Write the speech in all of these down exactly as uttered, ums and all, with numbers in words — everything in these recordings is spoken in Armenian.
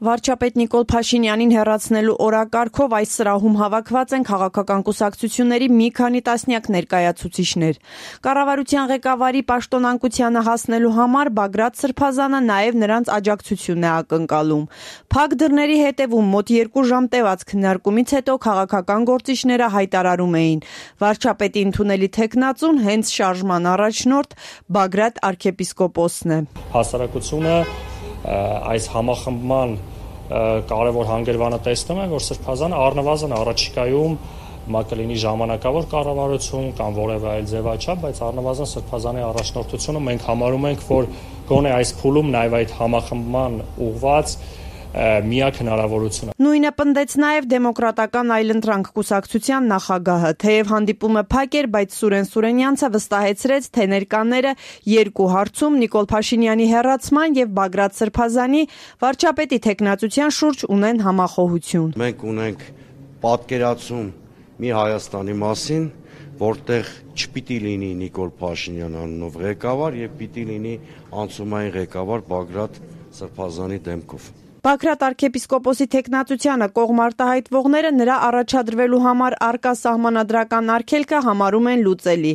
Վարչապետ Նիկոլ Փաշինյանին հեռացնելու օրակարգով այս սրահում հավաքված են քաղաքական կուսակցությունների մի քանի տասնյակ ներկայացուցիչներ։ Կառավարության ղեկավարի պաշտոնանկությանը հասնելու համար Բագրատ Սրբազանը նաև նրանց աջակցությունն է ակնկալում։ Փակ դռների հետևում մոտ երկու ժամ տևած քննարկումից հետո քաղաքական գործիչները հայտարարում էին՝ վարչապետի ընդունելի թեկնածուն հենց շարժման առաջնորդ Բագրատ arczepiskopos-ն է։ Հասարակությունը այս համախմբման կարևոր հանգրվանը տեսնում են, որ Սրբազանը առնվազն առաջիկայում մա կլինի ժամանակավոր կառավարություն կամ որևէ այլ ձևաչափ, բայց առնվազն Սրբազանի առաջնորդությունը մենք համարում ենք, որ գոնե այս փուլում նաև այդ համախմբման ուղղված միակ հնարավորությունը։ Նույնը պնդեց նաև Դեմոկրատական այլընտրանք կուսակցության նախագահը, թեև հանդիպումը փակ էր, բայց Սուրեն Սուրենյանցը վստահեցրեց, թե ներկաները երկու հարցում Նիկոլ Փաշինյանի հեռացման եւ Բագրատ Սրբազանի վարչապետի թեկնածության շուրջ ունեն համախոհություն։ Մենք ունենք պատկերացում մի Հայաստանի մասին, որտեղ չպիտի լինի Նիկոլ Փաշինյան անունով ղեկավար եւ պիտի լինի անցումային ղեկավար Բագրատ Սրբազանի դեմքով։ Բագրատ arczepiskopos-ի թեկնածությանը կողմ արտահայտվողները նրա առաջադրվելու համար արկա սահմանադրական արգելքը համարում են լուծելի։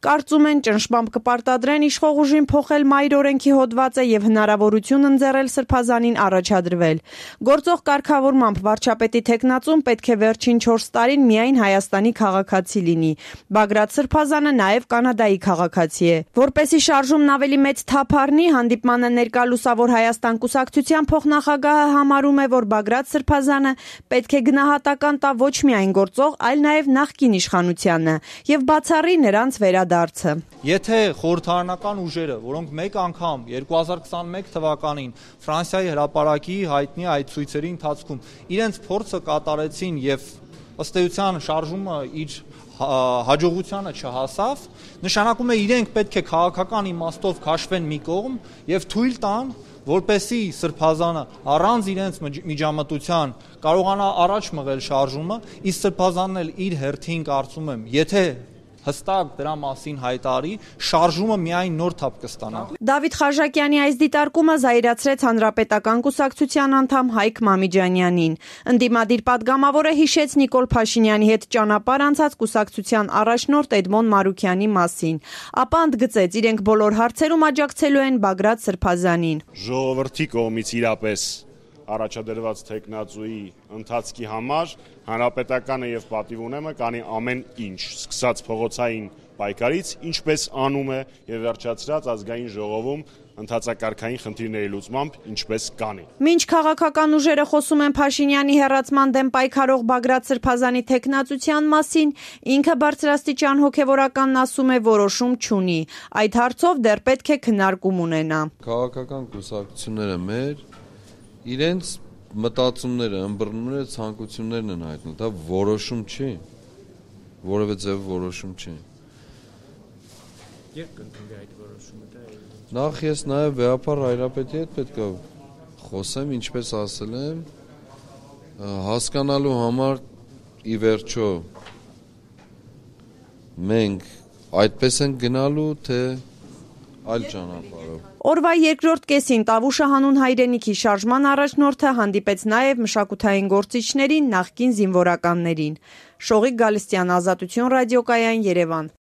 Կարծում են ճնշմամբ կպարտադրեն իշխող ուժին փոխել մայր օրենքի հոդվածը եւ հնարավորություն ընձեռել Սրբազանին առաջադրվել։ Գործող կարգավորմամբ վարչապետի թեկնածուն պետք է վերջին չորս տարին միայն Հայաստանի քաղաքացի լինի։ Բագրատ Սրբազանը նաև Կանադայի քաղաքացի է։ Որպեսի շարժումն ավելի մեծ թափ առնի, հանդիպմանը ներկա Լուսավոր Հայաստան կուսակցության փոխնախագահ համարում է, որ Բագրատ Սրբազանը պետք է գնահատական տա ոչ միայն գործող, այլ նաև նախկին իշխանությանը եւ բացառի նրանց վերադարձը։ Եթե խորհրդարանական ուժերը, որոնք մեկ անգամ երկու հազար քսաներեք թվականին Ֆրանսիայի հրապարակի հայտնի այդ ցույցերի ընթացքում իրենց փորձը կատարեցին եւ ըստ էության շարժումը իր հաջողությանը չհասավ, նշանակում է իրենք պետք է քաղաքական իմաստով քաշվեն մի կողմ եւ թույլ տան, որպեսի Սրբազանը առանց իրենց միջամտության կարողանա առաջ մղել շարժումը, իսկ Սրբազանն էլ իր հերթին կարծում եմ, եթե հստակ դրա մասին հայտարարի, շարժումը միայն նոր թափ կստանա։ Դավիթ Խաչակյանի այս դիտարկումը զայրացրեց Հանրապետական կուսակցության անդամ Հայկ Մամիջանյանին։ Ընդդիմադիր պատգամավորը հիշեց Նիկոլ Փաշինյանի հետ ճանապարհ անցած կուսակցության առաջնորդ Էդմոն Մարուքյանի մասին։ Ապա ընդգծեց, իրենք բոլոր հարցերում աջակցելու են Բագրատ Սրբազանին։ Ժողովրդի կողմից իրապես առաջադրված թեկնածուի ընթացքի համար Հանրապետականը եւ պատիվ ունեմը կանի ամեն ինչ, սկսած փողոցային պայքարից, ինչպես անում է եւ վերջացրած ազգային ժողովում ընթացակարգային խնդիրների լուծմամբ, ինչպես կանի։ Մինչ քաղաքական ուժերը խոսում են Փաշինյանի հեռացման դեմ պայքարող Բագրատ Սրբազանի թեկնածության մասին, ինքը բարձրաստիճան հոգեվորականն ասում է որոշում չունի։ Այդ հարցով դեռ պետք է քննարկում ունենա։ Քաղաքական կուսակցությունները մեր իրենց մտածումները, ըմբռնումները, ցանկություններն են հայտնել, դա որոշում չի, որևէ ձև որոշում չի։ Երբ կընդունվի այդ որոշումը, դա է։ Նախ ես նաև վեհապար Հայրապետի հետ պետք է խոսեմ, ինչպես ասել եմ, հասկանալու համար ի վերջո մենք այդպես ենք գնալու, թե այլ ճանապարհով։ Օրվա երկրորդ կեսին Տավուշը հանուն հայրենիքի շարժման առաջնորդը հանդիպեց նաև մշակութային գործիչներին, նախկին զինվորականներին։ Շողիկ Գալստյան, Ազատություն ռադիոկայան, Երևան։